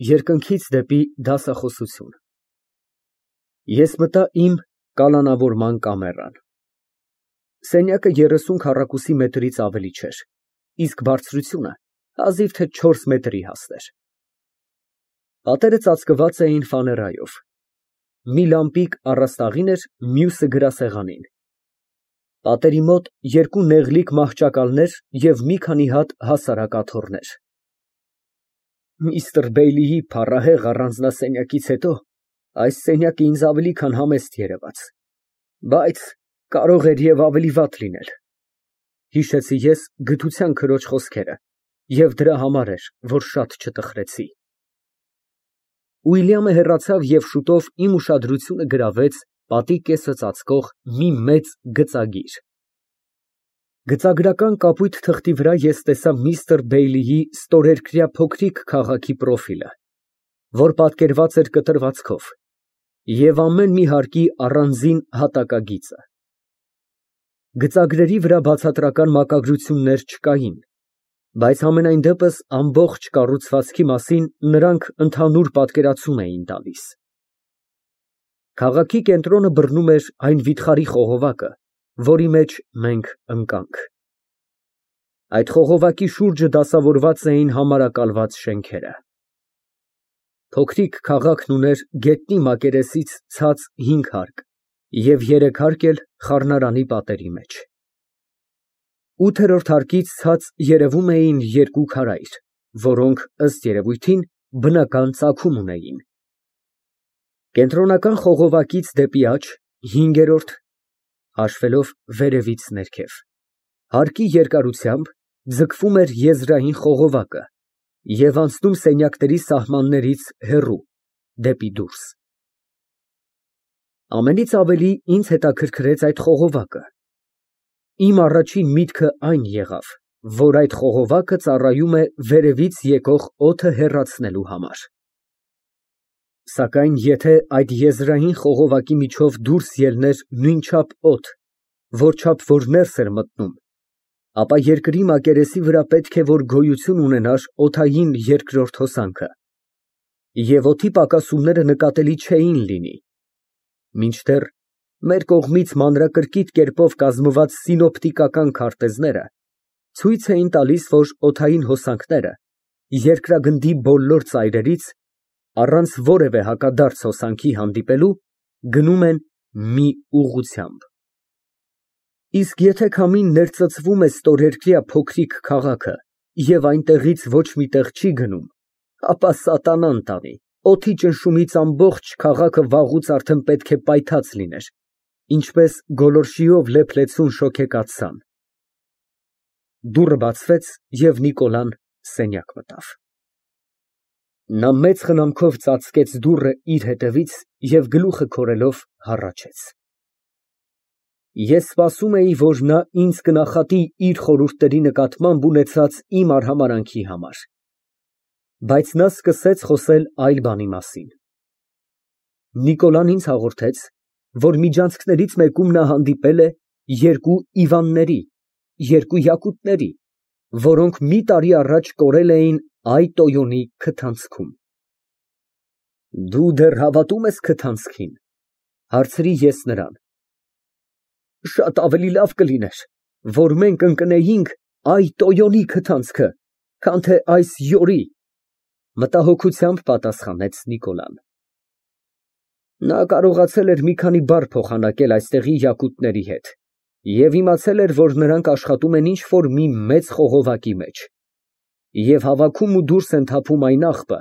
Երկնքից դեպի դասախոսություն։ Ես մտա իմ կալանավորման կամերան։ Սենյակը 30 քառակուսի մետրից ավելի չէր, իսկ բարձրությունը հազիվ թե 4 մետրի հասներ։ Պատերը ծածկված էին ֆաներայով։ Մի լամպիկ առաստաղին էր, մյուսը գրասեղանին։ Պատերի մոտ երկու նեղլիկ մահճակալներ և մի քանի հատ հասարակ աթոռներ։ Միստր Բեյլիի փառահեղ առանձնասենյակից հետո այս սենյակը ինձ ավելի քան համեստ երևաց, բայց կարող էր և ավելի վատ լինել, հիշեցի ես գթության քրոջ խոսքերը և դրա համար էր, որ շատ չտխրեցի։ Ուիլյամը հեռացավ և շուտով իմ ուշադրությունը գրավեց պատի կեսը ծածկող մի մեծ գծագիր։ Գծագրական կապույտ թղթի վրա ես տեսա միստր Բեյլիի ստորերկրյա փոքրիկ քաղաքի պրոֆիլը, որ պատկերված էր կտրվածքով, և ամեն մի հարկի առանձին հատակագիծը։ Գծագրերի վրա բացատրական մակագրություններ չկային, բայց համենայն դեպս ամբողջ կառուցվածքի մասին նրանք ընդհանուր պատկերացում էին տալիս։ Քաղաքի կենտրոնը բռնում էր այն վիթխարի խողովակը, որի մեջ մենք ընկանք։ Այդ խողովակի շուրջը դասավորված էին համարակալված շենքերը։ Փոքրիկ քաղաքն ուներ գետնի մակերեսից ցած 5 հարկ և 3 հարկ էլ խառնարանի պատերի մեջ։ 8-րդ հարկից ցած երևում էին երկու քարայր, որոնք, ըստ երևույթին, բնական ծագում ունեին։ Կենտրոնական խողովակից դեպի աջ 5-րդ (հաշվելով վերևից ներքև) հարկի երկարությամբ ձգվում էր եզրային խողովակը և անցնում սենյակների սահմաններից հեռու, դեպի դուրս։ Ամենից ավելի ինձ հետաքրքրեց այդ խողովակը։ Իմ առաջին միտքը այն եղավ, որ այդ խողովակը ծառայում է վերևից եկող օդը հեռացնելու համար։ Սակայն եթե այդ եզրային խողովակի միջով դուրս ելներ նույնչափ օդ, որչափ որ ներս էր մտնում, ապա երկրի մակերեսի վրա պետք է որ գոյություն ունենար օդային երկրորդ հոսանքը, և օդի պակասումները նկատելի չէին լինի, մինչդեռ մեր կողմից մանրակրկիտ կերպով կազմված սինոպտիկական քարտեզները ցույց էին տալիս, որ օդային հոսանքները երկրագնդի բոլոր ծայրերից, առանց որևէ հակադարձ հոսանքի հանդիպելու, գնում են մի ուղղությամբ։ Իսկ եթե քամին ներծծվում է ստորերկրյա փոքրիկ քաղաքը և այնտեղից ոչ մի տեղ չի գնում, ապա սատանան տանի, օդի ճնշումից ամբողջ քաղաքը վաղուց արդեն պետք է պայթած լիներ, ինչպես գոլորշիով լեփ-լեցուն շոգեկաց սան։ Դուռը բացվեց, և Նիկոլան սենյակ մտավ։ Նա մեծ խնամքով ծածկեց դուռը իր հետևից և գլուխը քորելով հառաչեց։ Ես սպասում էի, որ նա ինձ կնախատի իր խորհուրդների նկատմամբ ունեցած իմ արհամարհանքի համար, բայց նա սկսեց խոսել այլ բանի մասին։ Նիկոլան ինձ հաղորդեց, որ միջանցքներից մեկում նա հանդիպել է երկու Իվանների, երկու Յակուտների, որոնք մի տարի առաջ կորել էին Այ Տոյոնի քթանցքում։ Դու դեռ հավատում ես քթանցքին, ֊ հարցրի ես նրան։ Շատ ավելի լավ կլիներ, որ մենք ընկնեինք Այ Տոյոնի քթանցքը, քան թե այս յորի, ֊ մտահոգությամբ պատասխանեց Նիկոլան։ Նա կարողացել էր մի քանի բառ փոխանակել այստեղի յակուտների հետ և իմացել էր, որ նրանք աշխատում են ինչ֊որ մի մեծ խողովակի մեջ և հավաքում ու դուրս են թափում այն աղբը,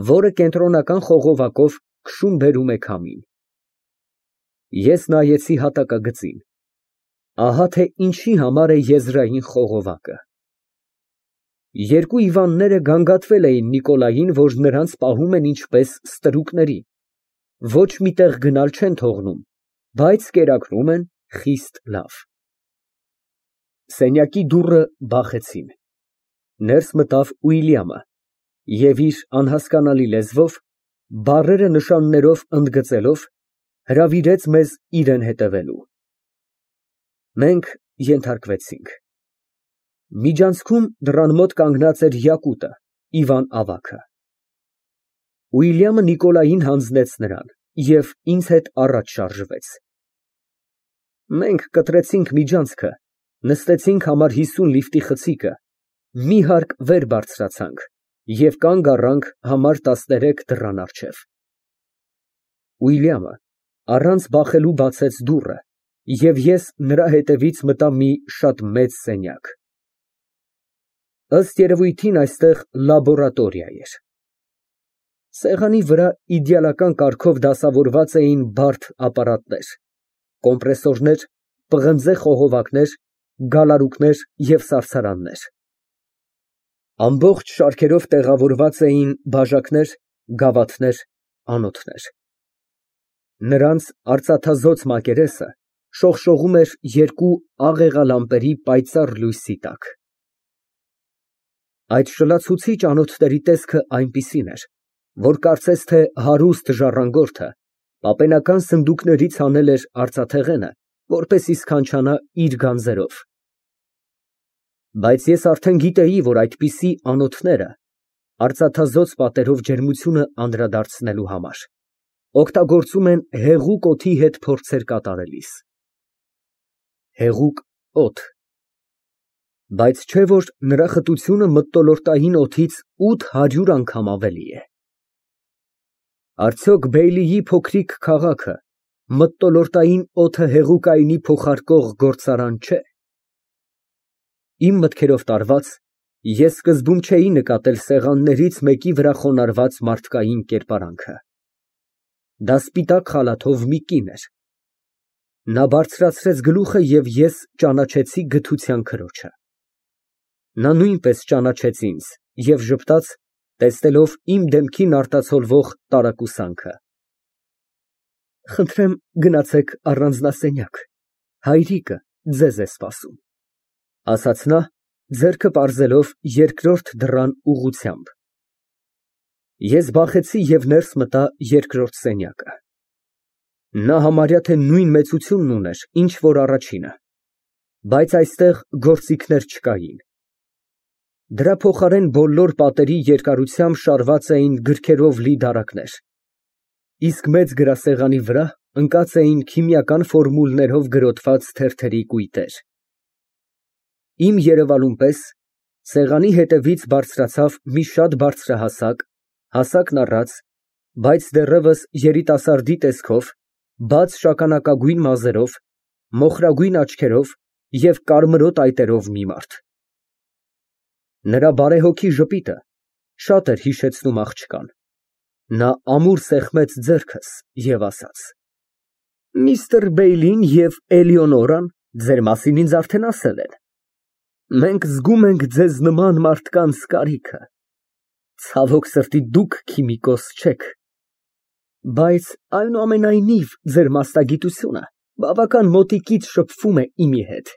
որը կենտրոնական խողովակով քշում֊բերում է քամին։ Ես նայեցի հատակագծին։ Ահա թե ինչի համար է եզրային խողովակը։ Երկու Իվանները գանգատվել էին Նիկոլային, որ նրանց պահում են ինչպես ստրուկների, ոչ մի տեղ գնալ չեն թողնում, բայց կերակրում են խիստ լավ։ Սենյակի դուռը բախեցին։ Ներս մտավ Ուիլյամը և իր անհասկանալի լեզվով, բառերը նշաններով ընդգծելով, հրավիրեց մեզ իրան հետևելու։ Մենք ենթարկվեցինք։ Միջանցքում դռան մոտ կանգնած էր յակուտը, Իվան ավագը։ Ուիլյամը Նիկոլային հանձնեց նրան և ինձ հետ առաջ շարժվեց։ Մենք կտրեցինք միջանցքը, նստեցինք համար 50 լիֆտի խցիկը, մի հարկ վեր բարձրացանք և կանգ առանք համար 13 դռան առջև։ Ուիլյամը առանց բախելու բացեց դուռը, և ես նրա հետևից մտա մի շատ մեծ սենյակ։ Ըստ երևույթին այստեղ լաբորատորիա էր։ Սեղանի վրա իդեալական կարգով դասավորված էին բարդ ապարատներ, կոմպրեսորներ, պղնձե խողովակներ, գալարուկներ և սարսարաններ։ Ամբողջ շարքերով տեղավորված էին բաժակներ, գավաթներ, անոթներ։ Նրանց արծաթազօծ մակերեսը շողշողում էր երկու աղեղալամպերի պայծառ լույսի տակ։ Այդ շլացուցիչ անոթների տեսքը այնպիսին էր, որ կարծես թե հարուստ ժառանգորդը պապենական սնդուկներից հանել էր արծաթեղենը, որպեսզի սքանչանա իր գանձերով։ Բայց ես արդեն գիտեի, որ այդպիսի անոթները արծաթազօծ պատերով ջերմությունը անդրադարձնելու համար օգտագործում են հեղուկ օդի հետ փորձեր կատարելիս։ Հեղուկ օդ։ Բայց չէ՞ որ նրա խտությունը մթնոլորտային օդից 800 անգամ ավելի է։ Արդյոք Բեյլիի փոքրիկ քաղաքը մթնոլորտային օդը հեղուկայինի փոխարկող գործարան չէ։ Իմ մտքերով տարված, ես սկզբում չէի նկատել սեղաններից մեկի վրա խոնարհված մարդկային կերպարանքը։ Դա սպիտակ խալաթով մի կին էր։ Նա բարձրացրեց գլուխը, և ես ճանաչեցի գթության քրոջը։ Նա նույնպես ճանաչեց ինձ և ժպտաց, տեսնելով իմ դեմքին արտացոլվող տարակուսանքը։ Խնդրեմ, գնացեք առանձնասենյակ, հայրիկը ձեզ է սպասում, ասաց նա, ձեռքը պարզելով երկրորդ դռան ուղղությամբ։ Ես բախեցի և ներս մտա երկրորդ սենյակը։ Նա համարյա թե նույն մեծությունն ուներ, ինչ որ առաջինը, բայց այստեղ գործիքներ չկային։ Դրա փոխարեն բոլոր պատերի երկարությամբ շարված էին գրքերով լի դարակներ, իսկ մեծ գրասեղանի վրա ընկած էին քիմիական ֆորմուլներով գրոտված թերթերի կույտեր։ Իմ երևալուն պես սեղանի հետևից բարձրացավ մի շատ բարձրահասակ, հասակն առած, բայց դեռևս երիտասարդի տեսքով, բաց շագանակագույն մազերով, մոխրագույն աչքերով և կարմրոտ այտերով մի մարդ։ Նրա բարեհոգի ժպիտը շատ էր հիշեցնում աղջկան։ Նա ամուր սեղմեց ձեռքս և ասաց. Միստր Բեյլին և Էլեոնորան ձեր մասին ինձ արդեն ասել են։ Մենք զգում ենք ձեզ նման մարդկանց կարիքը։ Ցավոք սրտի, դուք քիմիկոս չեք, բայց այնուամենայնիվ ձեր մասնագիտությունը բավական մոտիկից շփվում է իմի հետ։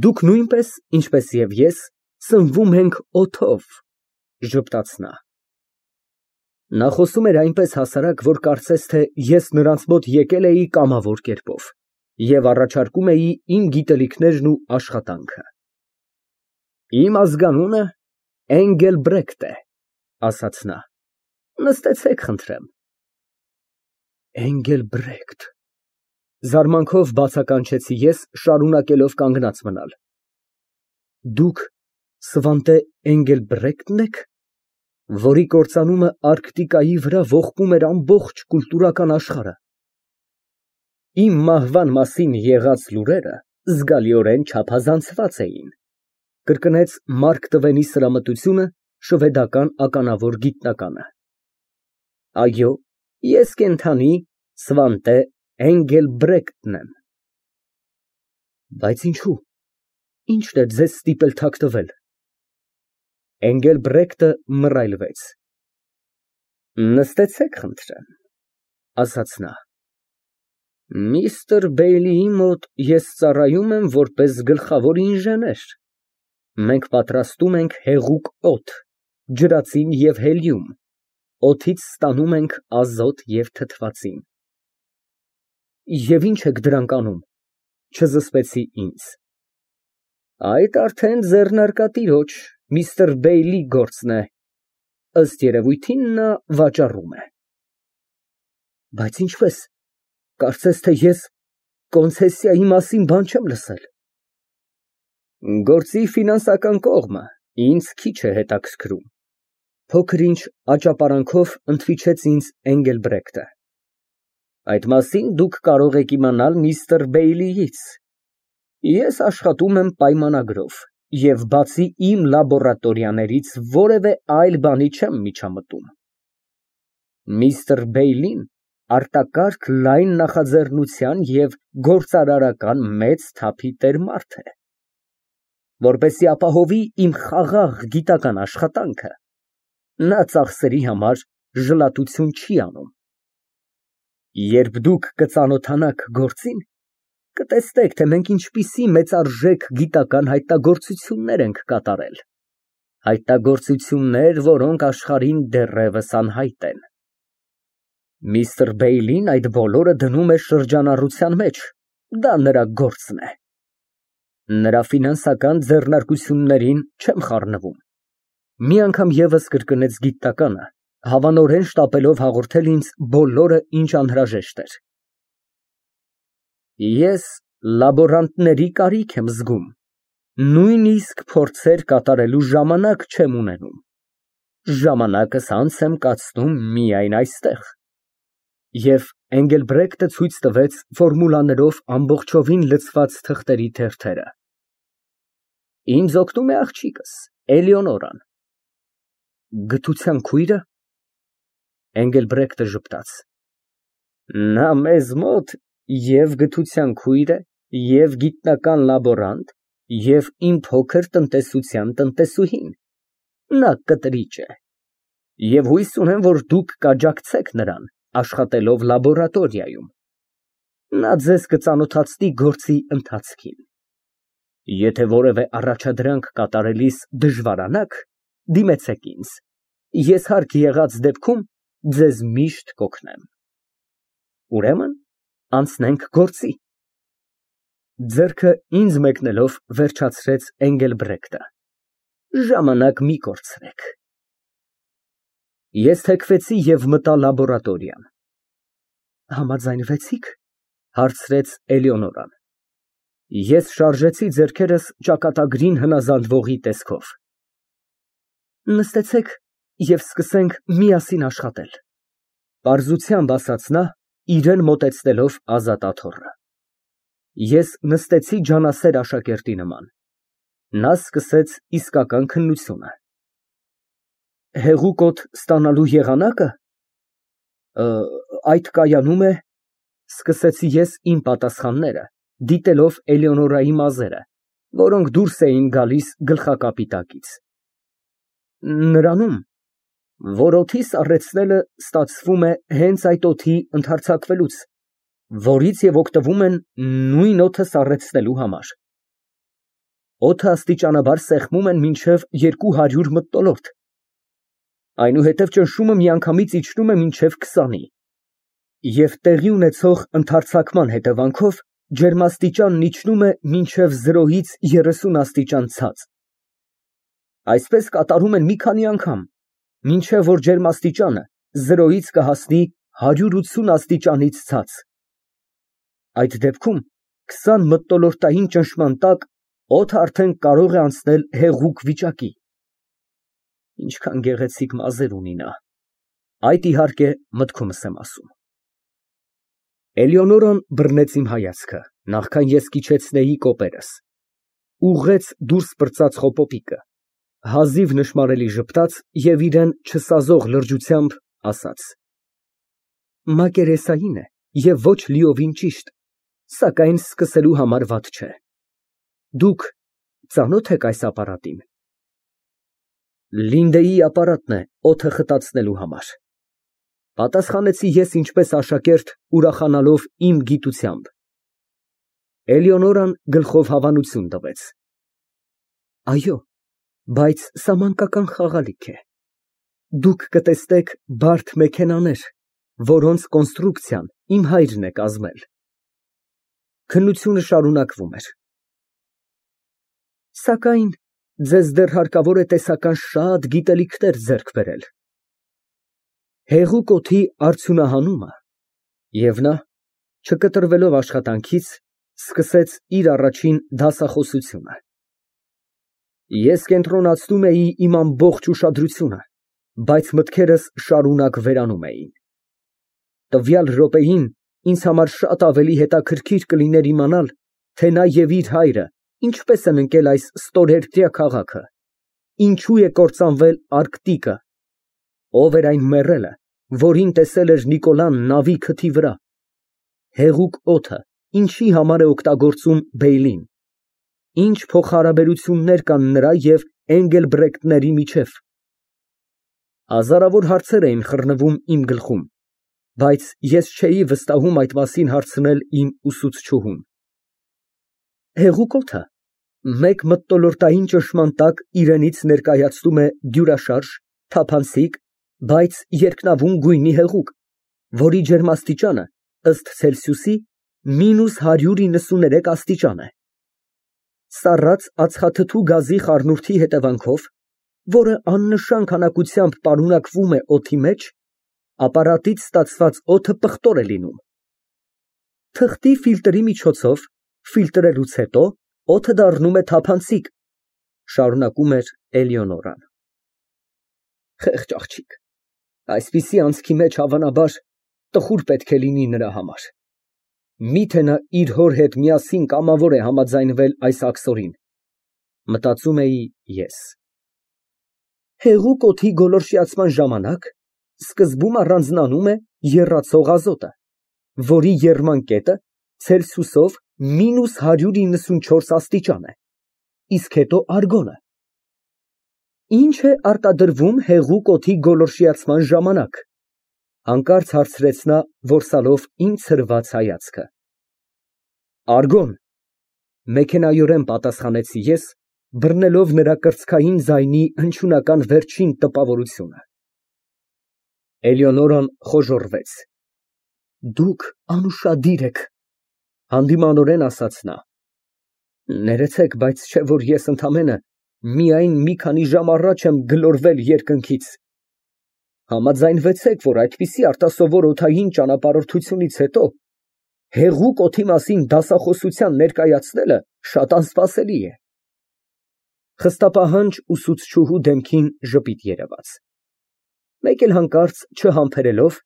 Դուք նույնպես, ինչպես և ես, սնվում ենք օդով, ժպտաց նա։ Նա խոսում էր այնպես հասարակ, որ կարծես թե ես նրանց մոտ եկել էի կամավոր կերպով և առաջարկում էի իմ գիտելիքներն ու աշխատանքը։ Իմ ազգանունը Էնգելբրեկտ է, ասաց նա։ Նստեցեք, խնդրեմ։ Էնգելբրեկտ, զարմանքով բացականչեցի ես, շարունակելով կանգնած մնալ։ Դուք Սվանտե Էնգելբրեկտն եք, որի կործանումը Արկտիկայի վրա ողբում էր ամբողջ կուլտուրական աշխարհը։ Իմ մահվան մասին եղած լուրերը զգալիորեն չափազանցված էին, կրկնեց Մարկ Տվենի սրամտությունը շվեդական ականավոր գիտնականը։ Այո, ես կենդանի Սվանտե Էնգելբրեկտն եմ։ Բայց ինչու։ Ի՞նչն է ձեզ ստիպել թաքնվել։ Էնգելբրեկտը մռայլվեց։ Նստեցեք, խնդրեմ, ասաց նա։ Միստր Բեյլիի մոտ ես ծառայում եմ որպես գլխավոր ինժեներ։ Մենք պատրաստում ենք հեղուկ օդ, ջրածին և հելիում, օդից ստանում ենք ազոտ և թթվածին։ Եվ ի՞նչ եք դրանք անում, չզսպեցի ինձ։ Այդ արդեն ձեռնարկատիրոջ, միստր Բեյլի գործն է։ ըստ երևույթին նա վաճառում է։ Բայց ինչպես, կարծես թե ես կոնցեսիայի մասին բան չեմ լսել։ Գործի ֆինանսական կողմը ինձ քիչ է հետաքրքրում, փոքր-ինչ աճապարանքով ընդվիճեց ինձ Էնգելբրեկտը։ Այդ մասին դուք կարող եք իմանալ միստր Բեյլիից։ Ես աշխատում եմ պայմանագրով և բացի իմ լաբորատորիաներից որևէ այլ բանի չեմ միջամտում։ Միստր Բեյլին արտակարգ լայն նախաձեռնության և գործարարական մեծ թափի տեր մարդ է։ Որպեսզի ապահովի իմ խաղաղ գիտական աշխատանքը, նա ծախսերի համար ժլատություն չի անում։ Երբ դուք կծանոթանաք գործին, կտեսնեք, թե մենք ինչպիսի մեծարժեք գիտական հայտնագործություններ ենք կատարել, հայտնագործություններ, որոնք աշխարհին դեռևս անհայտ են։ Միստր Բեյլին այդ բոլորը դնում է շրջանառության մեջ, դա նրա գործն է։ Նրա ֆինանսական ձեռնարկություններին չեմ խառնվում։ Մի անգամ ևս կրկնեց գիտականը, հավանորեն շտապելով հաղորդել ինձ բոլորը, ինչ անհրաժեշտ էր։ Ես լաբորանտների կարիք եմ զգում, նույնիսկ փորձեր կատարելու ժամանակ չեմ ունենում։ Ժամանակս անց եմ կացնում միայն այստեղ։ Եվ Էնգելբրեկտը ցույց տվեց ֆորմուլաներով ամբողջովին լցված թղթերի թերթերը։ Ինձ օգնում է աղջիկս, Էլեոնորան։ Գթության քույրը։ Էնգելբրեկտը ժպտաց։ Նա մեզ մոտ և գթության քույր է, և գիտնական լաբորանտ, և իմ փոքր տնտեսության տնտեսուհին։ Նա կտրիճ է։ Եվ հույս ունեմ, որ դուք կաջակցեք նրան, աշխատելով լաբորատորիայում։ Նա ձեզ կծանոթացնի գործի ընթացքին։ Եթե որևէ առաջադրանք կատարելիս դժվարանաք, դիմեցեք ինձ։ Ես հարկ եղած դեպքում ձեզ միշտ կօգնեմ։ Ուրեմն անցնենք գործի։ Ձեռքը ինձ մեկնելով վերջացրեց Էնգելբրեկտը։ Ժամանակ մի կորցրեք։ Ես թեքվեցի և մտա լաբորատորիան։ Համաձայնվեցի՞ք, հարցրեց Էլեոնորան։ Ես շարժեցի ձեռքերս ճակատագրին հնազանդվողի տեսքով։ Նստեցեք և սկսենք միասին աշխատել, պարզությամբ ասաց նա, իրան մոտեցնելով ազատ աթոռը։ Ես նստեցի ջանասեր աշակերտի նման։ Նա սկսեց իսկական քննությունը։ Հեղուկոտ ստանալու եղանակը։ Այդ կայանում է, սկսեցի ես իմ պատասխանները, դիտելով Էլեոնորայի մազերը, որոնք դուրս էին գալիս գլխակապի տակից։ Նրանում, որ օդի սառեցնելը ստացվում է հենց այդ օդի ընդհարձակվելուց, որից և օգտվում են նույն օդը սառեցնելու համար։ Օդը աստիճանաբար սեղմում են մինչև 200 մթնոլորտ։ Այնուհետև ճնշումը միանգամից իջնում է մինչև 20-ի։ Եվ տեղի ունեցող ընդարձակման հետևանքով ջերմաստիճանն իջնում է մինչև 0-ից 30 աստիճան ցած։ Այսպես կատարում են մի քանի անգամ, մինչև որ ջերմաստիճանը 0-ից կհասնի 180 աստիճանից ցած։ Այդ դեպքում 20 մթնոլորտային ճնշման տակ օդը արդեն կարող է անցնել հեղուկ վիճակի։ Ինչքան գեղեցիկ մազեր ունի նա։ Այդ իհարկե մտքումս եմ ասում։ Էլեոնորան բռնեց իմ հայացքը, նախքան ես կիչեցնեի կոպերս, ուղղեց դուրս պրծած խոպոպիկը, հազիվ նշմարելի ժպտաց և իրան չսազող լրջությամբ ասաց. Մակերեսային է և ոչ լիովին ճիշտ, սակայն սկսելու համար վատ չէ։ Դուք ծանո՞թ եք այս ապարատին։ Լինդեի ապարատն է օդը խտացնելու համար։ Պատասխանեցի ես ինչպես աշակերտ, ուրախանալով իմ գիտությամբ։ Էլեոնորան գլխով հավանություն տվեց։ Այո, բայց սա մանկական խաղալիք է։ Դուք կտեսնեք բարդ մեքենաներ, որոնց կոնստրուկցիան իմ հայրն է կազմել։ Քննությունը շարունակվում էր։ Սակայն ձեզ դեռ հարկավոր է տեսական շատ գիտելիքներ ձեռք բերել։ Հեղուկ օդի արդյունահանումը, և նա, չկտրվելով աշխատանքից, սկսեց իր առաջին դասախոսությունը։ Ես կենտրոնացնում էի իմ ամբողջ ուշադրությունը, բայց մտքերս շարունակ վերանում էին։ Տվյալ րոպեին ինձ համար շատ ավելի հետաքրքիր կլիներ իմանալ, թե նա և իր հայրը ինչպես են ընկել այս ստորերկրյա քաղաքը, ինչու է կործանվել Արկտիկը, ով էր այն մեռելը, որին տեսել էր Նիկոլան նավի քթի վրա, հեղուկ օդը ինչի համար է օգտագործում Բեյլին, ինչ փոխհարաբերություններ կան նրա և Էնգելբրեկտների միջև։ Հազարավոր հարցեր էին խռնվում իմ գլխում, բայց ես չէի վստահում այդ մասին հարցնել իմ ուսուցչուհուն։ Հեղուկ օդը մեկ մթնոլորտային ճնշման տակ իրենից ներկայացնում է դյուրաշարժ, թափանցիկ, բայց երկնավուն գույնի հեղուկ, որի ջերմաստիճանը ըստ Ցելսիուսի -193 աստիճան է։ Սառած ածխաթթու գազի խառնուրդի հետևանքով, որը աննշան քանակությամբ պարունակվում է օդի մեջ, ապարատից ստացված օդը պղտոր է լինում։ Թղթի ֆիլտրի միջոցով ֆիլտրելուց հետո օդը դառնում է թափանցիկ, շարունակում էր Էլեոնորան։ Խեղճ աղջիկ, այսպիսի անցքի մեջ հավանաբար տխուր պետք է լինի նրա համար։ Միթե նա իր հոր հետ միասին կամավոր է համաձայնվել այս աքսորին, մտածում էի ես։ Հեղուկ օդի գոլորշիացման ժամանակ սկզբում առանձնանում է եռացող ազոտը, որի եռման կետը Ցելսիուսով -194 աստիճան է, իսկ հետո արգոնը։ Ինչ է արտադրվում հեղուկ օդի գոլորշիացման ժամանակ, հանկարծ հարցրեց նա, որսալով իմ ցրված հայացքը։ Արգոն, մեքենայորեն պատասխանեցի ես, բռնելով նրա կրծքային ձայնի հնչյունական վերջին տպավորությունը։ Էլեոնորան խոժոռվեց։ Դուք անուշադիր եք, հանդիմանորեն ասաց նա։ Ներեցեք, բայց չէ որ ես ընդամենը միայն մի քանի ժամ առաջ եմ գլորվել երկնքից։ Համաձայնվեցեք, որ այդպիսի արտասովոր օդային ճանապարհորդությունից հետո հեղուկ օդի մասին դասախոսության ներկայացնելը շատ անսպասելի է։ Խստապահանջ ուսուցչուհու դեմքին ժպիտ երևաց։ Մեկ էլ հանկարծ չհամբերելով,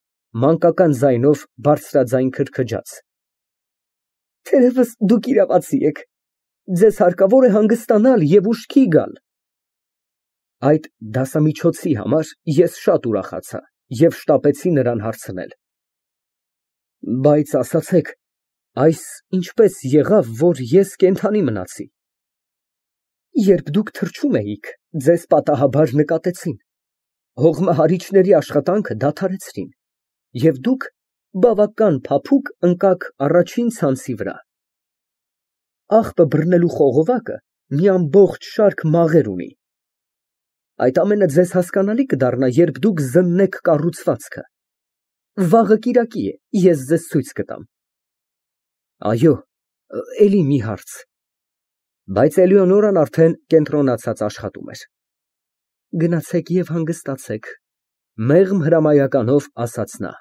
մանկական ձայնով բարձրաձայն քրքջաց. Թերևս դուք իրավացի եք, ձեզ հարկավոր է հանգստանալ և ուշքի գալ։ Այդ դասամիջոցի համար ես շատ ուրախացա և շտապեցի նրան հարցնել. Բայց ասացեք, այս ինչպես եղավ, որ ես կենդանի մնացի։ Երբ դուք թռչում էիք, ձեզ պատահաբար նկատեցին, հողմահարիչների աշխատանքը դադարեցրին, և դուք բավական փափուկ ընկաք առաջին ցանցի վրա։ Աղբը բռնելու խողովակը մի ամբողջ շարք մաղեր ունի։ Այդ ամենը ձեզ հասկանալի կդառնա, երբ դուք զննեք կառուցվածքը։ Վաղը կիրակի է, ես ձեզ ցույց կտամ։ Այո, էլի մի հարց։ Բայց Էլեոնորան արդեն կենտրոնացած աշխատում էր։ Գնացեք և հանգստացեք, մեղմ հրամայականով ասաց նա։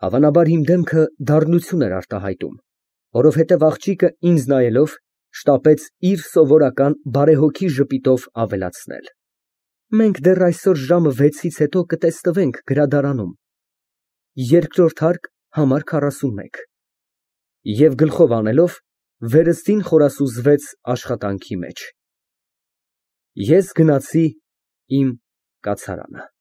Հավանաբար իմ դեմքը դառնություն էր արտահայտում, որովհետև աղջիկը ինձ նայելով շտապեց իր սովորական բարեհոգի ժպիտով ավելացնել. Մենք դեռ այսօր ժամը 6-ից հետո կտեսնվենք գրադարանում, երկրորդ հարկ, համար 41։ Եվ գլխով անելով, վերստին խորասուզվեց աշխատանքի մեջ։ Ես գնացի իմ կացարանը։